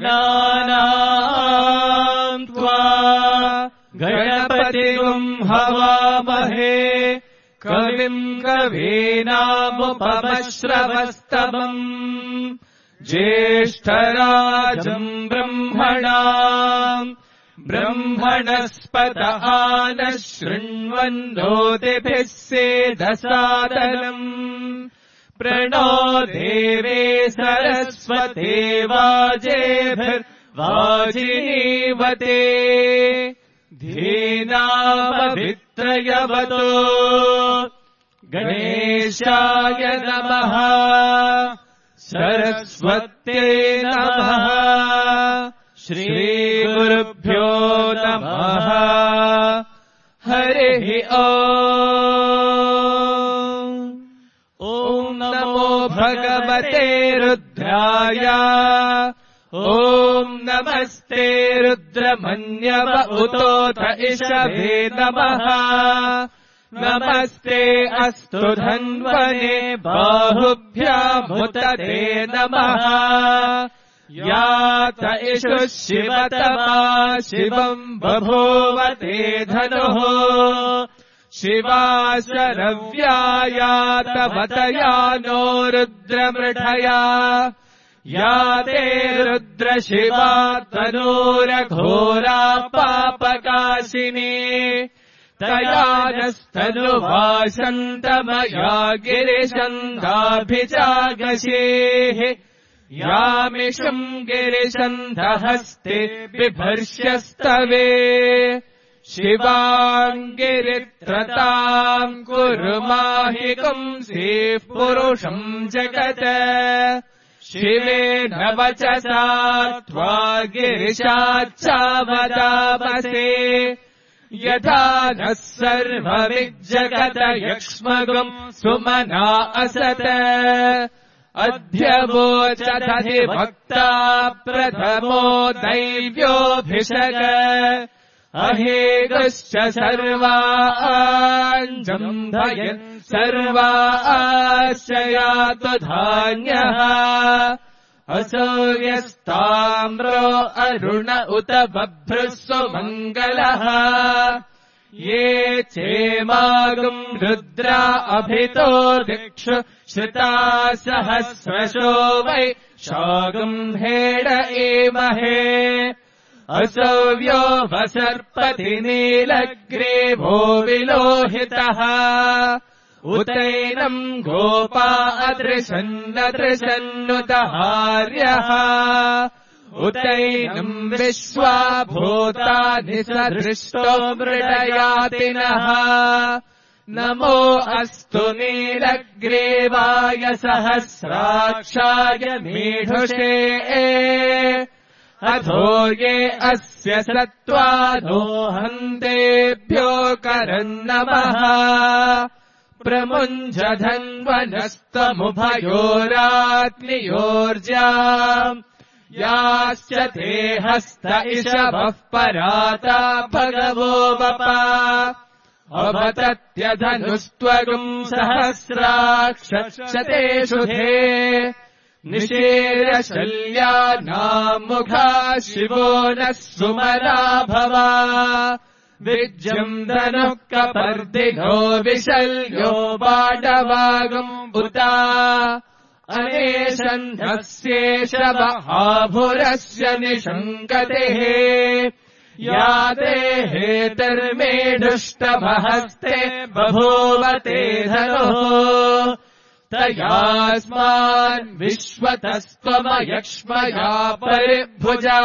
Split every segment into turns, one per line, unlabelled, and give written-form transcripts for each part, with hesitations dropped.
गणानाम् त्वा गणपतिम् हवामहे कविम् कवीनामुपमश्रवस्तमम् ज्येष्ठराजम् ब्रह्मणस्पत नः शृण्वन्नोतिभिः सेदसादनम् प्रणो देवे सरस्वते वाजेभिर्वाजिनीवते धीनामभित्रयवतो गणेशाय नमः सरस्वत्यै नमः श्रीगुरुभ्यो नमः हरिः ॐ नमो भगवते रुद्राय ॐ नमस्ते रुद्रमन्यव उतोऽथ इषभे नमः नमस्ते अस्तु धन्वने बाहुभ्यामुत ते नमः यात इषु शिवतमा शिवम् बभूवते धनुः शिवा शरव्यायातवतया नो रुद्रमृषया याते रुद्रशिवा तनूरघोरा पापकाशिनी तया नस्तनुभाषन्तमया गिरिशन्धाभिजागशेः यामिषम् गिरिशन्धहस्ते बिभर्ष्यस्तवे शिवाङ्गिरित्रताम् कुरु माहिकंसीः पुरुषम् जगत् शिवेन वचसा त्वा गिरिशाच्चावदामसे यथा नः सर्वविज्जगत यक्ष्मगम् सुमना असत अध्यवोचदधिवक्ता प्रथमो दैव्योऽभिषग अहेगश्च सर्वाञ्जम्भयन् सर्वाश्च यातु धान्यः असौर्यस्ताम्रो अरुण उत बभ्रुः सुमङ्गलः ये चेमागम् रुद्रा अभितो दिक्षु श्रुता सहस्रशो वै शागम् हेड एमहे असौव्यो वसर्पति नीलग्रीवो विलोहितः उतैनम् गोपा अदृशन्नदृशन्नुतहार्यः उतैनम् विश्वा भूतानि सदृष्टो मृडयातिनः नमो अस्तु नीलग्रीवाय सहस्राक्षाय मीढुषे अधो ये अस्य सत्त्वानो हन्तेभ्यो करन्नमः प्रमुञ्जधन्वनस्तमुभयोरात्मियोर्जाम् याश्च ते हस्त इषवः पराता भगवो वपा अवतत्यधनुस्त्वगुम् सहस्राक्षतेषु ते निषेरशल्यानामुखा शिवो नः सुमना भवा विज्यम् धनुः कपर्दिनो विशल्यो बाडवागम् उता अनेशन्धस्येष महाभुरस्य निषङ्गतेः याते हेतर्मेढुष्टमहस्ते बभूवते धनुः तयास्मान् विश्वतस्त्वमयक्ष्मया परिभुजा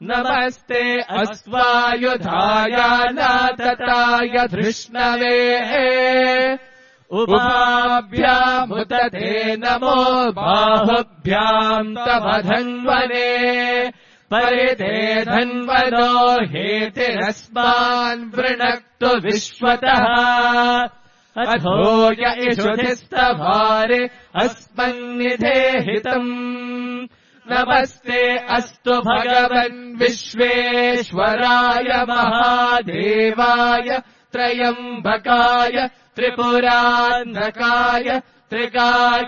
नमस्ते अस्वायुधाय नातताय धृष्णवे उभाभ्यामुत ते नमो बाहुभ्याम् तव धन्वने परिते धन्वनो हेतिरस्मान् वृणक्तु विश्वतः अथो य इषुधिस्तभारे अस्मन्निधेहितम् नमस्ते अस्तु भगवन् विश्वेश्वराय महादेवाय त्रयम्बकाय त्रिपुरान्धकाय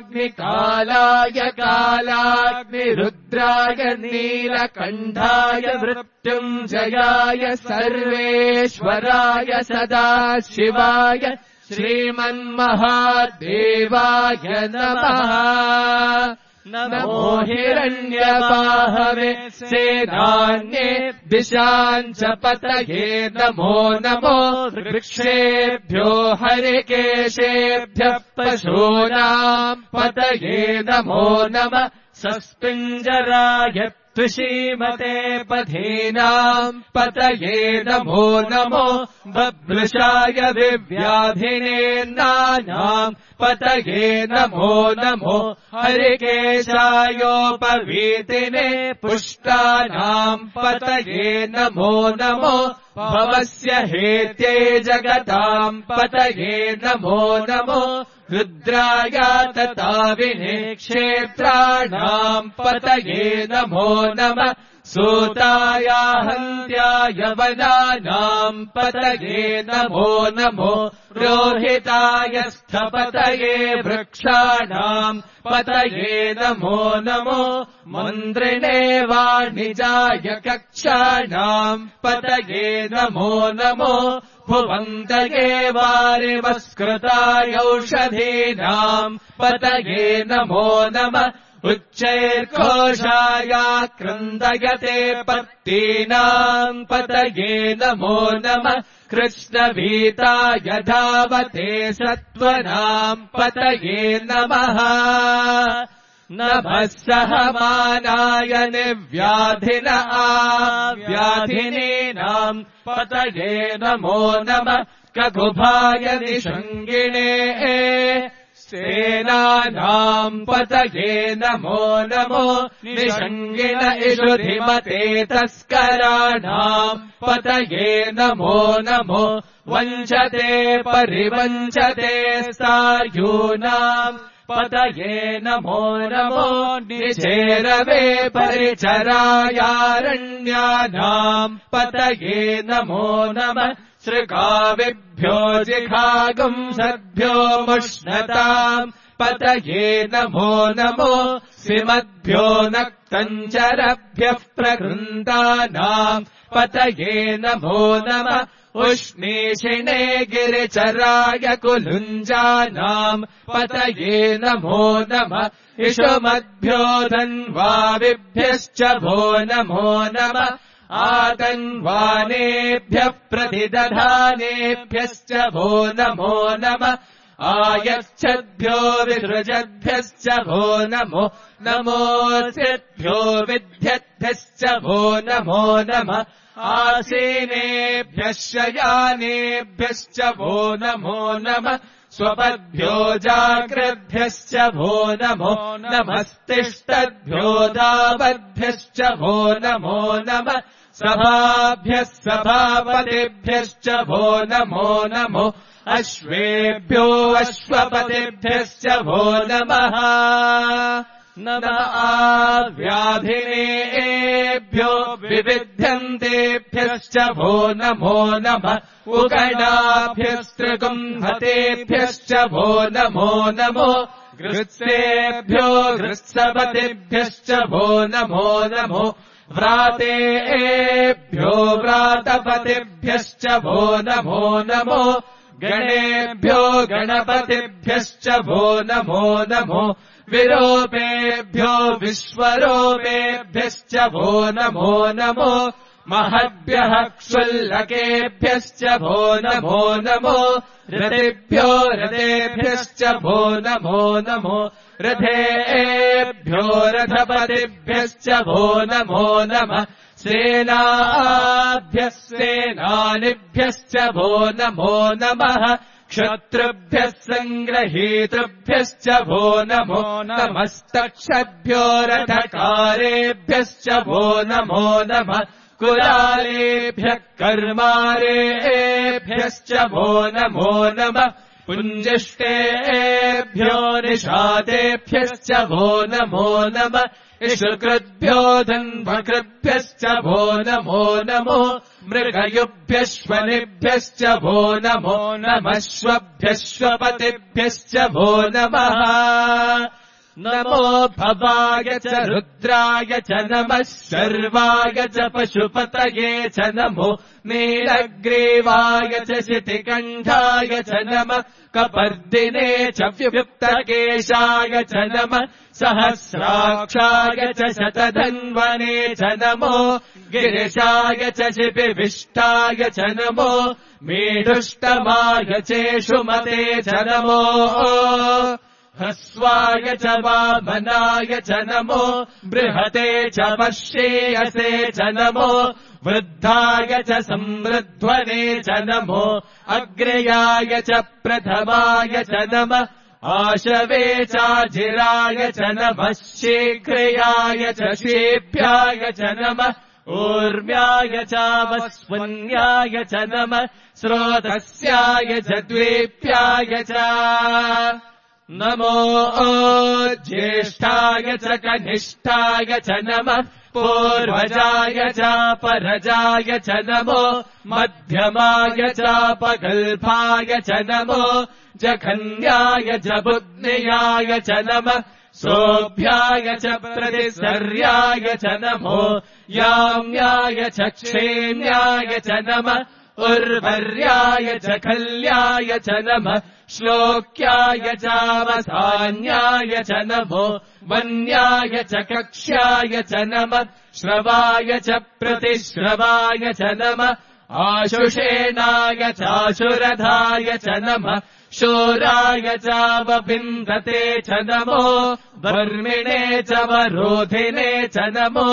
त्रिकाग्निकालाय कालाग्निरुद्राय नीलकण्ठाय मृत्युञ्जयाय सर्वेश्वराय सदाशिवाय श्रीमन्महादेवाय नमः। नमो हिरण्यबाहवे सेनान्ये दिशाम् च पतये नमो नमो वृक्षेभ्यो हरिकेशेभ्यः पशूनाम् पतये नमो नमः सस्पिञ्जराय त्विषीमते पथीनाम् पतये नमो नमो बभ्रुषाय विव्याधिने नानाम् पतये नमो नमो हरिकेशायोपवीतिने पुष्टानाम् पतये नमो नमो भवस्य हेत्यै जगताम् पतये नमो नमो रुद्राय तताविने क्षेत्राणाम् पतये नमो नमः सूताय हन्त्याय वनानाम् पतये नमो नमो रोहिताय स्थपतये वृक्षाणाम् पतये नमो नमो मन्द्रिणे वाणिजाय कक्षाणाम् पतये नमो नमो भुवन्तये वारिमस्कृताय औषधीनाम् पतये नमो नमः उच्चैर्घोषाय क्रन्दयते पत्तीनाम् पतये नमो नमः कृष्णभीताय धावते सत्त्वनाम् पतये नमः नभः सहमानाय निर्व्याधिन आव्याधिनीनाम् पतये नमो नमः ककुभाय निषङ्गिणे सेनानाम् पतये नमो नमो निषङ्गिन इषुधिमते तस्कराणाम् पतये नमो नमो वञ्चते परिवञ्चते सार्यूनाम् पतये नमो नमो निचेरवे परिचरायारण्यानाम् पतये नमो नमः श्रृगाविभ्यो जिघागुम् सद्भ्यो मुष्णताम् पतये नमो नमो सिमद्भ्यो नक्तञ्चरभ्यः प्रकृन्तानाम् पतये नमो नमः उष्णीषिणे गिरिचराय कुलुञ्जानाम् पतये नमो नमः इषुमद्भ्यो धन्वाविभ्यश्च भो नमो नमः आतन्वानेभ्यः प्रतिदधानेभ्यश्च भो नमो नमः आयच्छद्भ्यो विसृजद्भ्यश्च भो नमो नमोऽस्यद्भ्यो विद्यद्भ्यश्च भो नमो नमः आसीनेभ्यः शयानेभ्यश्च भो नमो नमः स्वपद्भ्यो जाग्रद्भ्यश्च भो नमो नमस्तिष्ठद्भ्यो दावद्भ्यश्च भो नमो नमः सभाभ्यः सभापतिभ्यश्च भो नमो नमो अश्वेभ्यो अश्वपतिभ्यश्च भो नमः नमः व्याधिनेभ्यो विविध्यन्तेभ्यश्च भो नमो नमः उगणाभ्यस्त्रिगुम्हतेभ्यश्च भो नमो नमो गृत्सेभ्यो गृत्सपतिभ्यश्च भो नमो नमो व्रातेभ्यो व्रातपतिभ्यश्च भो नमो नमो गणेभ्यो गणपतिभ्यश्च भो नमो नमो विरूपेभ्यो विश्वरूपेभ्यश्च भो नमो नमो महद्भ्यः क्षुल्लकेभ्यश्च भो नमो नमो रथेभ्यो रथेभ्यश्च भो नमो नमो रथेभ्यो रथपतिभ्यश्च भो नमो नमः सेनाभ्यः सेनानिभ्यश्च भो नमो नमः क्षत्रुभ्यः सङ्ग्रहीतृभ्यश्च भो नमो नमस्तक्षद्भ्यो रथकारेभ्यश्च भो नमो नमः कुलालेभ्यः कर्मारेभ्यश्च भो नमो नमः पुञ्जिष्टेभ्यो निषादेभ्यश्च भो नमो नमः इषुकृद्भ्यो धन्वकृभ्यश्च वो नमो नमो मृगयुभ्यश्वनिभ्यश्च वो नमो नमश्वभ्यश्वपतिभ्यश्च वो नमः नमो भवाय च रुद्राय च नमः शर्वाय च पशुपतये च नमो नीलग्रीवाय च शितिकण्ठाय च नमः कपर्दिने च व्युक्तकेशाय च नमः सहस्राक्षाय च शतधन्वने च नमो गिरिशाय च शिपिविष्टाय च नमो मीढुष्टमाय चेषुमते च नमो ह्रस्वाय च वामनाय च नमो बृहते च पश्येयसे च नमो वृद्धाय च संवृध्वने च नमो अग्रयाय च प्रथमाय च नमः आशवे चाजिराय च नमः शीघ्रयाय च शेभ्याय च नमः ऊर्म्याय चावस्वन्याय च नमः स्रोतस्याय च द्वेप्याय च नमो ज्येष्ठाय च कनिष्ठाय च नमः पूर्वजाय चापरजाय च नमो मध्यमाय चापगल्भाय च नमो जघन्याय च बुद्ध्याय च नमः सोऽभ्याय च प्रतिसर्याय च नमो याम्याय च क्षेम्याय च नमः उर्वर्याय च खल्याय च नमः श्लोक्याय चावसान्याय च नमो वन्याय च कक्ष्याय च नमः श्रवाय च प्रतिश्रवाय च नमः आशुषेणाय चाशुरधाय च नमः शोराय चावबिन्दते च नमो वर्मिणे च वरोधिने च नमो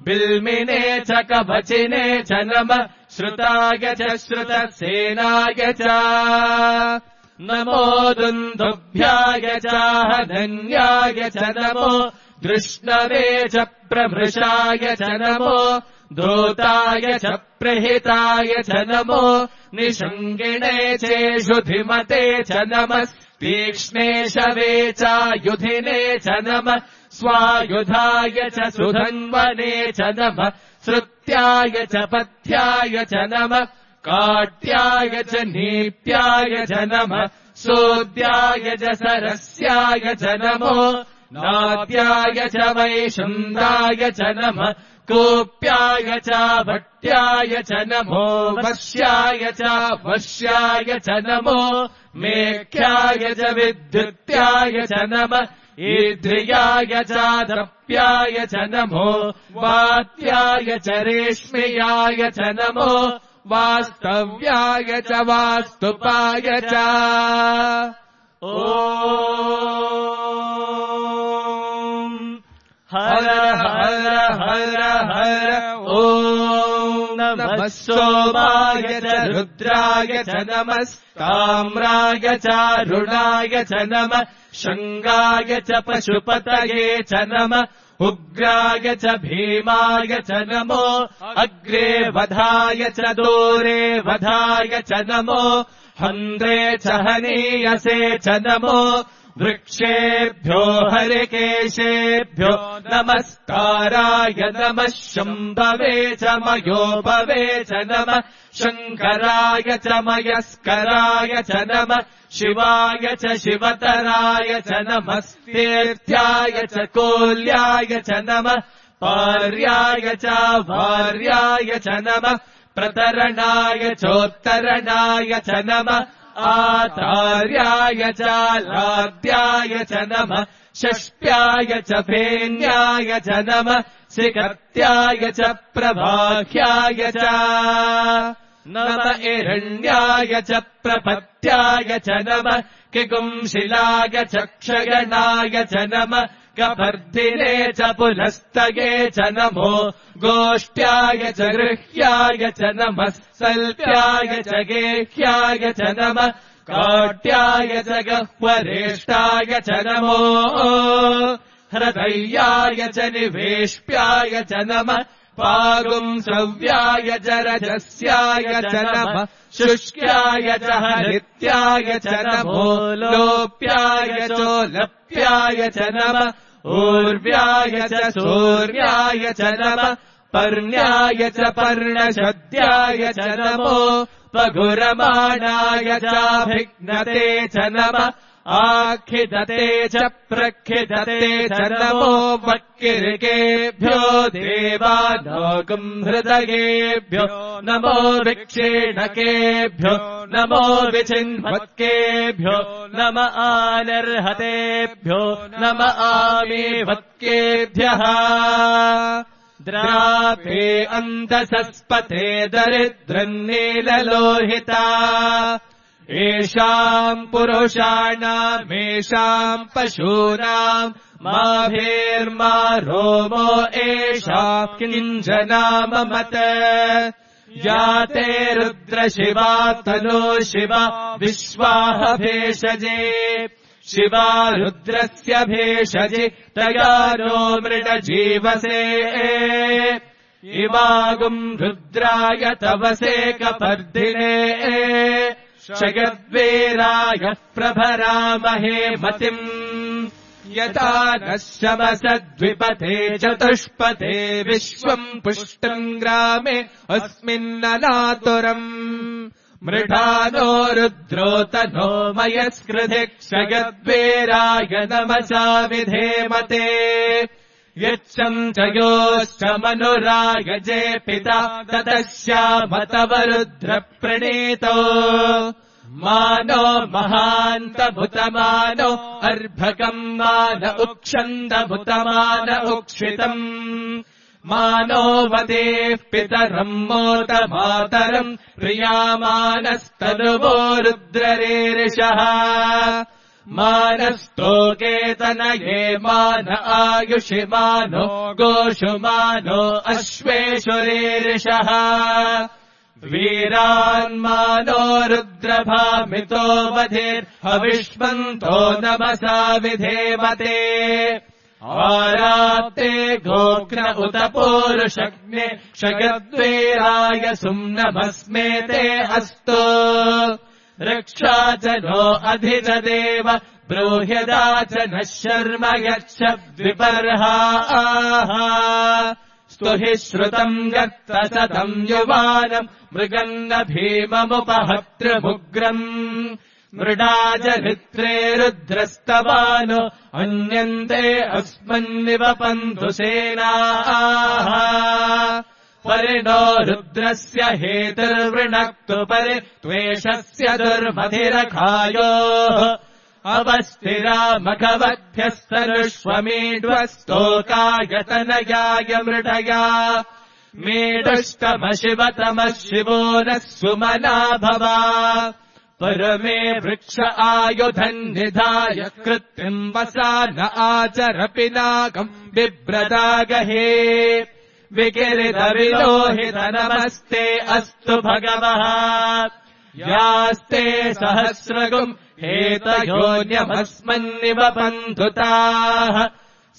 बिल्मिने च कवचिने च नमः श्रुताय च श्रुतसेनाय च नमो दुन्दुभ्याय चाहधन्याय च नमो दृष्णवे च प्रभृशाय च नमो धूताय च प्रहिताय च नमो निषङ्गिणे चेषुधिमते च नमः तीक्ष्णे शवे चायुधिने च नमः स्वायुधाय च सुधन्वने च नमः श्रुत्याय च पथ्याय च नमः काट्याय च नीप्याय च नमः सोद्याय च सरस्याय च नमो नाद्याय च वैशुन्दाय च नमः कोप्याय च भट्याय च नमो वश्याय च वश्याय च नमो मेख्याय च विद्युत्याय च नमः ईद्रियाय च द्रप्याय च नमो वात्याय च रेश्म्याय च नमो वास्तव्याय च वास्तुपाय च ॐ हर हर हर हर ॐ नमः सोमाय च रुद्राय च नमः ताम्राय चारुणाय च नमः शङ्गाय च पशुपतये च नमः उग्राय च भीमाय च नमो अग्रे वधाय च दूरे वधाय च नमो हन्त्रे च हनीयसे च नमो वृक्षेभ्यो हरिकेशेभ्यो नमस्काराय नमः शम्भवे च मयोभवे च नमः शङ्कराय च मयस्कराय च नमः शिवाय च शिवतराय च नमः तीर्थ्याय च कोल्याय च नमः पार्याय च भार्याय च नमः प्रतरणाय चोत्तरणाय च नमः आचार्याय च लाद्याय च नमः षष्ट्याय च फेन्याय च नमः सिकत्याय च प्रभाख्याय च नम हिरण्याय च प्रपत्याय च नमः किकुंशिलाय च क्षयणाय च नमः कपर्दिने च पुनस्तये च नमो गोष्ठ्याय च गृह्याय च नमः सल्प्याय च गेह्याय च नमः काट्याय च गह्वरेष्ठाय च नमो हृदयाय च निवेश्प्याय च नमः पागुंसव्याय च रजस्याय च नमः शुष्क्याय च हरित्याय च नमो लोप्याय चोलप्याय च नमः ऊर्व्याय च सूर्याय च नमः पर्ण्याय च पर्णशद्याय च नमो पगुरमाणाय चाभिघ्नते च नमः आखिदते च प्रखिदते च नमो वक्किरिकेभ्यो देवानागुम् हृदयेभ्यो नमो विक्षेणकेभ्यो नमो विचिन्वत्केभ्यो नम आनर्हतेभ्यो नम आमीवत्केभ्यः द्रापे अन्तसस्पते दरिद्रन्नीललोहिता येषाम् पुरुषाणामेषाम् पशूनाम् माभेर्मा रोमो एषाम् किञ्जनाममत याते रुद्रशिवा तनो शिवा विश्वाह भेषजे शिवा रुद्रस्य भेषजि तया नो मृडजीवसे इमागुम् रुद्राय तवसे कपर्दिने शयद्वीराय प्रभरामहे मतिम् यथा नः शमसद्विपथे चतुष्पथे विश्वम् पुष्टम् ग्रामे अस्मिन्ननातुरम् मृढानो रुद्रोतनो मयस्कृधिक्षयद्वीराय नमसा विधेमते यच्छम् च योश्च मनुरायजे पिता ततः श्यामतव रुद्रप्रणीतो मानो महान्तभुतमानो अर्भकम् मान उक्षन्दभुतमान उक्षितम् मानो वदेः पितरम् मोत मातरम् प्रियामानस्तनुवो रुद्ररेरिषः मानस्तोकेतनये मान आयुषि मानो गोषु मानो अश्वेषुरेरिषः वीरान्मानो रुद्रभामितो वधेर्हविष्मन्तो नमसा विधेमते आरात्ते गोघ्न उत पूरुषग्ने क्षयद्वीराय सुम्नमस्मेते अस्तु रक्षा च नो अधिज देव ब्रूह्यदा च नः शर्म यच्छ द्विपर्हाः स्तुहि श्रुतम् गर्तसतम् युवानम् मृगन्न भीममुपहतृमुग्रम् मृडाजरित्रे रुद्रस्तवानो अन्यन्ते अस्मन्निवपन्तु सेनाः परिणो रुद्रस्य हेतुर्वृणक्तु परि त्वेषस्य दुर्मधिरखायोः अवस्थिरा मघवद्भ्यस्तनुष्वमीड्वस्तोकायतनयाय मृडया मेडुष्टमशिवतमः शिवो नः सुमना भवा परमे वृक्ष आयुधम् निधाय कृत्रिम् वसा न आचर पिनाकम् बिभ्रदागहे विकिरितविलोहित नमस्ते अस्तु भगवः यास्ते सहस्रगुम् हेतयोन्यमस्मन्निवपन्तु ताः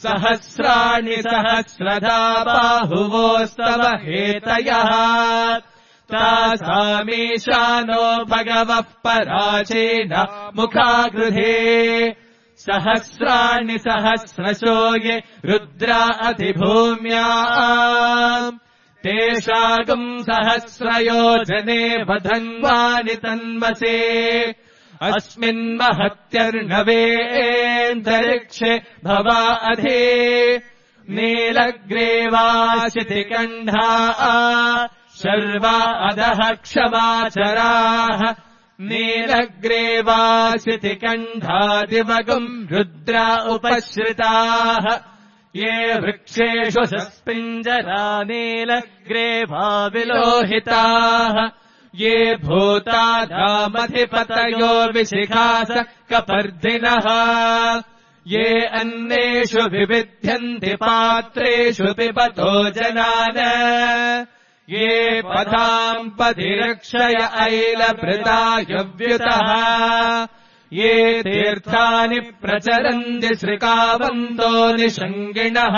सहस्राणि सहस्रधा बाहुवोस्तव हेतयः तासामीशानो भगवः पराचेन मुखागृहे सहस्राणि सहस्रशो ये रुद्रा अधिभूम्या तेषागुम् सहस्रयोजने वधन्वानि तन्मसे अस्मिन्महत्यर्णवेऽन्तरिक्षे भवा अधि नीलग्रीवाशितिकण्ठा शर्वा अधः क्षमाचराः नीलग्रीवाशितिकण्ठादिवगुम् रुद्रा उपश्रिताः ये वृक्षेषु सस्पिञ्जरा नीलग्रीवा विलोहिताः ये भूतानामधिपतयो विशिखास कपर्दिनः ये अन्नेषु विविध्यन्ति पात्रेषु पिबतो जनान ये पदाम् पदिरक्षय ऐलभृतायव्युतः ये तीर्थानि प्रचरन्ति श्रिकावन्तो निषङ्गिणः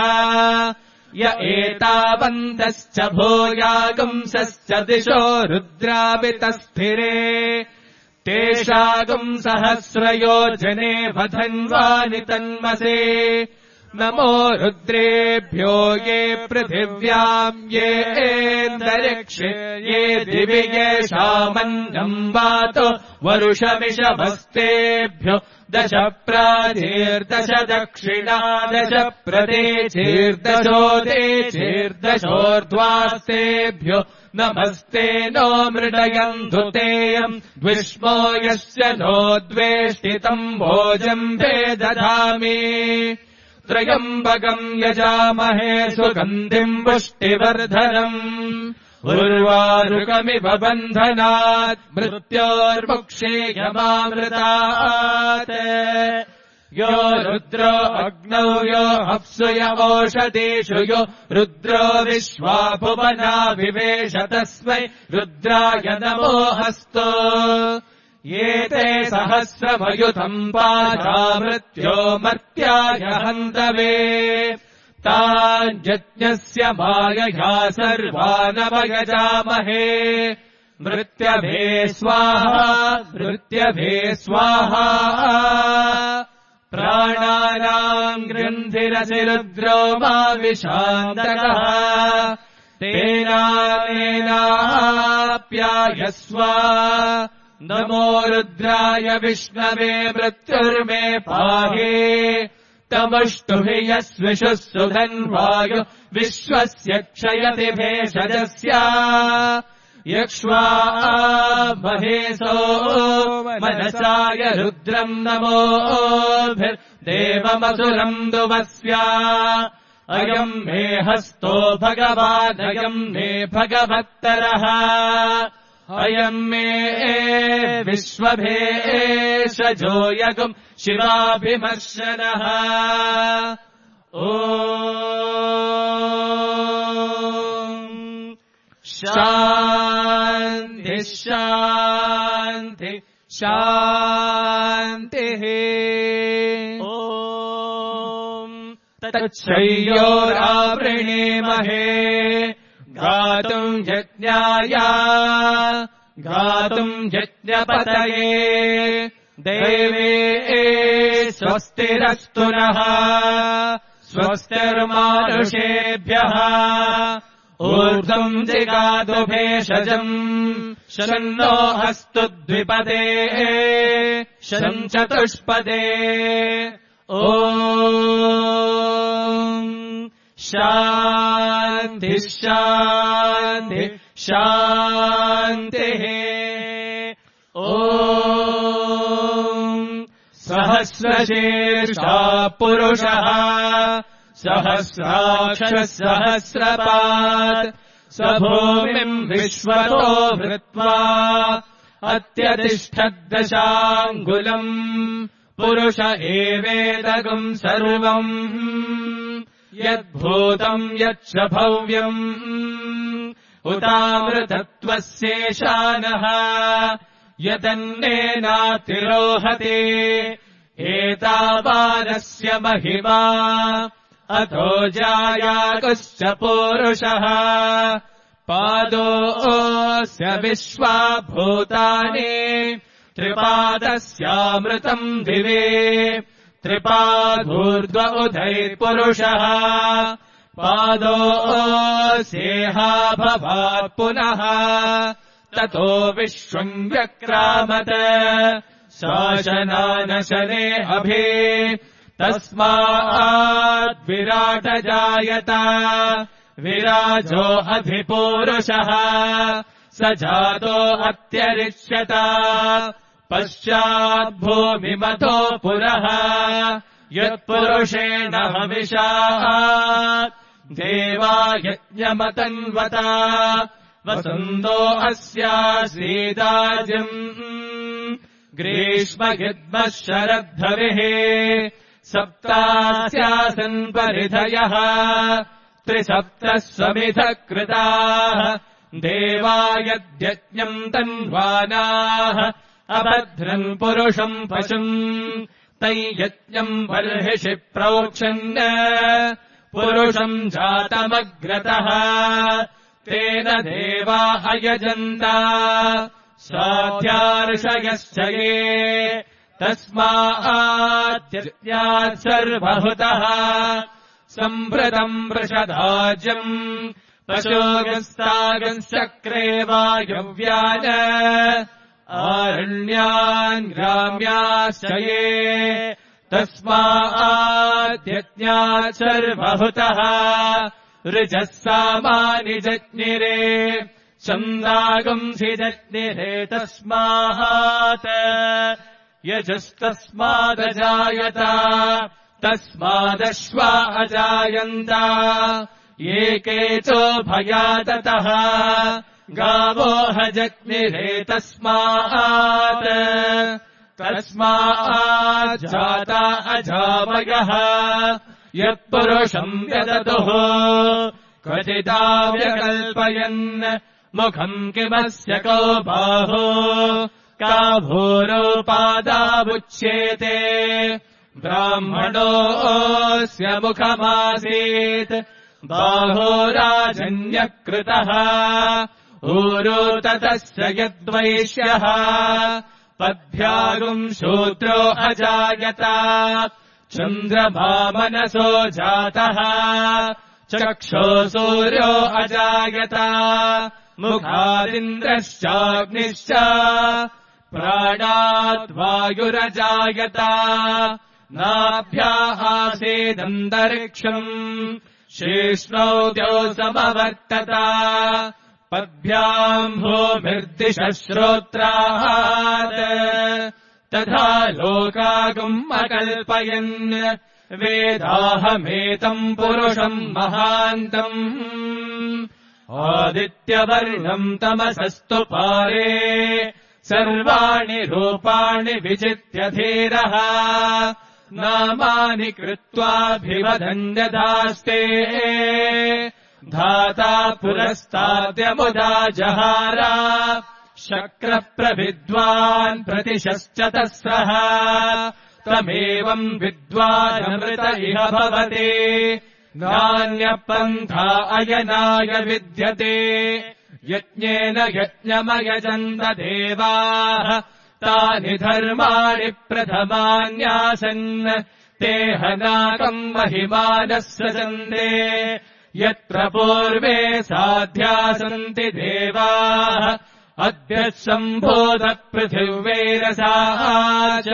य एतावन्तश्च भूयागुंसश्च दिशो रुद्रावितस्थिरे तेषागुम् सहस्रयोजने वधन्वानि तन्मसे नमो रुद्रेभ्यो ये पृथिव्याम् येऽन्तरिक्षे ये दिवि येषामन्नम् वातो वरुषमिषभस्तेभ्यो 10 प्राचीर्दश दक्षिणा 10 प्रतीचीर्दशोदेचीर्दशोर्ध्वास्तेभ्यो नमस्ते नो मृडयन्तु तेयम् द्विष्मो यस्य नो द्वेष्टितम् भोजम्भे दधामि त्रयम्बकम् यजामहे सुगन्धिम् पुष्टिवर्धनम् उर्वारुकमिव बन्धनात् मृत्योर्मुक्षीयमामृतात् यो रुद्रो अग्नौ यो अप्सु य ओषधीषु यो रुद्रो विश्वा भुवना विवेश तस्मै रुद्राय नमो अस्तु ये ते सहस्रमयुतम् पादा मृत्यो मर्त्याय हन्तवे ताञ्जज्ञस्य मायया सर्वानवयजामहे मृत्यभे स्वाहा मृत्यभे स्वाहा प्राणानाम् गृन्धिरसि रुद्रो मा विशान्तकः तेनाप्यायस्व नमो रुद्राय विष्णवे मृत्युर्मे पाहि तमुष्टुहि यस्विषुः सुधन्वायु विश्वस्य क्षयति भेषजस्य यक्ष्वा महेशो मनसाय रुद्रम् नमोभिर्देवमसुरम् दुवस्या अयम् मे हस्तो भगवानयम् मे भगवत्तरः अयम् मे विश्वभेषजो यगुम् शिवाभिमर्शनः ॐ शान्ति शान्ति शान्तिः ॐ तच्छय्योरावृणीमहे गातुम् यज्ञाय गातुम् यज्ञपतये देवे स्वस्तिरस्तु नः स्वस्तिर्मानुषेभ्यः ऊर्ध्वम् जिगातु भेषजम् शन्नो अस्तु द्विपदे शम् चतुष्पदे ॐ शान्ति शान्ति शान्तिः ॐ सहस्रशीर्षा पुरुषः सहस्राक्षः सहस्रपात् स भूमिम् विश्वतो भृत्वा अत्यतिष्ठद्दशाङ्गुलम् पुरुष एवेदगम् सर्वम् यद्भूतम् यच्च भव्यम् उतामृतत्वस्येशानः यदन्नेनातिरोहते एतावानस्य महिमा अथो जायाकुश्च पूरुषः पादोऽस्य विश्वा भूतानि त्रिपादस्यामृतम् दिवे त्रिपादूर्ध्व उदैर्पुरुषः पादोऽस्येहा भवात् पुनः ततो विश्वम् व्यक्रामत शासनानशने अभि तस्माद्विराट जायत विराजो अधिपूरुषः स जातो अत्यरिष्यत पश्चाद्भूमिमतो पुरः यत्पुरुषेण हविषा देवा यज्ञमतन्वता वसन्तो अस्यासीदाजिम् ग्रीष्मयुग्मः शरद्धविः सप्तास्यासन् परिधयः 37 स्वमिधः कृताः देवा यद्यज्ञम् तन्वानाः अभद्रन् पुरुषम् पशुम् तैयज्ञम् बर्हिषि प्रोक्षन् पुरुषम् जातमग्रतः तेन देवा अयजन्त स्वाध्यार्षयश्च ये तस्माद्यज्ञात् सर्वहुतः सम्भृतम् वृषधाज्यम् पशोगस्तागश्चक्रे वायव्यान् आरण्यान् ग्राम्याश्च ये तस्माद्यज्ञात् सर्वहुतः ऋजः सामानि जज्ञिरे छन्दागंसि जज्ञिरे तस्मात् यजस्तस्मादजायत तस्मादश्वा अजायन्त एके चोभयाततः गावो जज्ञिरे तस्मात् तस्माज्जाता अजावयः यत्पुरुषम् व्यदतुः क्वचिदाव्यकल्पयन् मुखम् किमस्य को बाहो का भूरोपादावुच्येते ब्राह्मणोऽस्य मुखमासीत् बाहो राजन्यकृतः ऊरो ततस्य यद्वैश्यः पद्भ्यागुम् शूद्रो अजायत चन्द्रमा मनसो जातः चक्षो सूर्यो अजायत मुखादिन्द्रश्चाग्निश्च प्राणाद्वायुरजायत नाभ्या आसीदन्तरिक्षम् शेष्णौ द्यौसमवर्तत पद्भ्याम् भूमिर्दिशः श्रोत्रात् तथा लोकागुम् अकल्पयन् वेदाहमेतम् पुरुषम् महान्तम् आदित्यवर्णम् तमसस्तु पारे सर्वाणि रूपाणि विचित्य धीरः नामानि कृत्वाभिवदन्यदास्ते धाता पुरस्ताद्यमुदा जहार शक्रप्रविद्वान् प्रतिशश्चतस्रः तमेवम् विद्वानमृत इह भवति नान्यपन्था अयनाय विद्यते यज्ञेन यज्ञमयजन्त देवाः तानि धर्माणि प्रथमान्यासन् ते हनाकम् महिमानः सजन्ते यत्र पूर्वे साध्या सन्ति देवाः अद्य सम्भूतपृथिव्यैरसाः च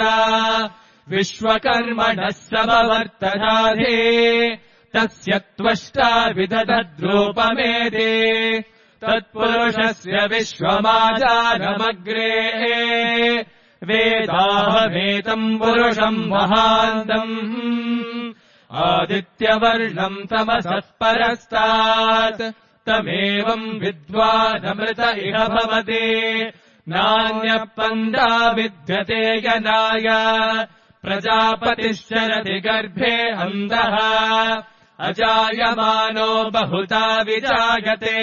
विश्वकर्मणः समवर्तधाधे तस्य त्वष्टा विदधद्रूपमेधे तत्पुरुषस्य विश्वमाजानमग्रे वेदाहमेतम् पुरुषम् महान्तम् आदित्यवर्णम् तमसः परस्तात् तमेवम् विद्वानमृत इह भवति नान्यपन्था विद्यते यनाय प्रजापतिश्चरति गर्भे अन्धः अजायमानो बहुधा विजायते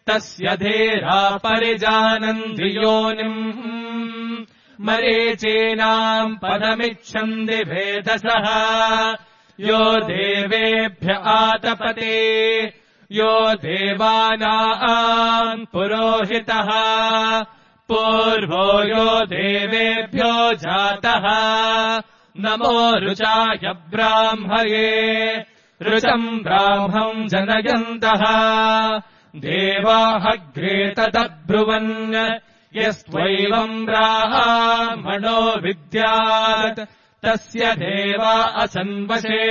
तस्य धीरा परिजानन्ति योनिम् मरीचीनाम् पदमिच्छन्ति भेदसः यो देवेभ्य आतपते यो देवानाम् पुरोहितः पूर्वो यो देवेभ्यो जातः नमो ऋचाय ब्राह्मये ऋचम् ब्राह्मम् जनयन्तः देवाहग्रे तदब्रुवन् यस्त्वैवम् ब्राह्मणो विद्यात् तस्य देवा असन्वशे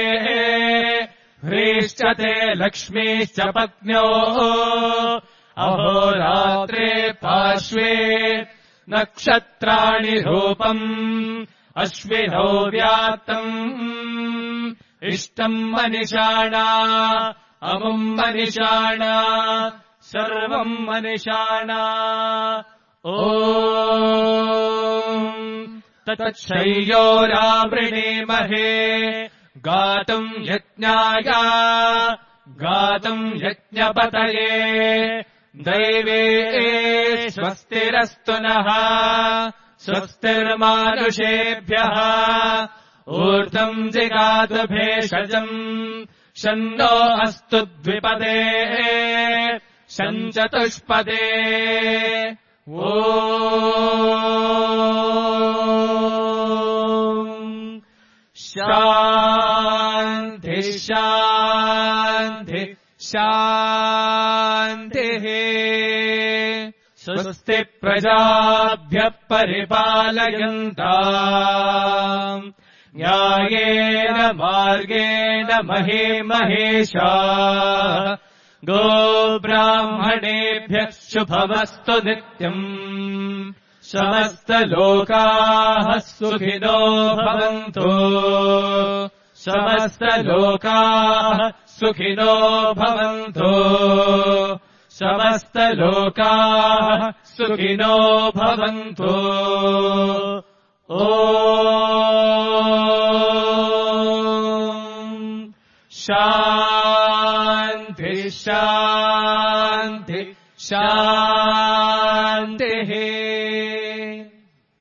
ह्रीश्चते लक्ष्मीश्च पत्न्योः अहोरात्रे पार्श्वे नक्षत्राणि रूपम् अश्विनौ व्याप्तम् इष्टम् मनिषाणा अमुम् मनिषाणा सर्वम् मनिषाणा ॐ ततच्छय्योरावृणीमहे गातुम् यज्ञाय गातुम् यज्ञपतये दैवे स्वस्तिरस्तु नः स्वस्तिर्मानुषेभ्यः ऊर्ध्वम् जिगातु भेषजम् शन्नो अस्तु द्विपदे शञ्चतुष्पदे शान्ति शान्ति शान्तिः स्वस्ति प्रजाभ्यः परिपालयन्ताम् न्यायेन मार्गेण महीमहेशाः गोब्राह्मणेभ्यः शुभमस्तु नित्यम् समस्तलोकाः सुखिनो भवन्तु समस्तलोकाः सुखिनो भवन्तु समस्तलोकाः सुखिनो भवन्तु ॐ शान्ति शान्ति शान्ति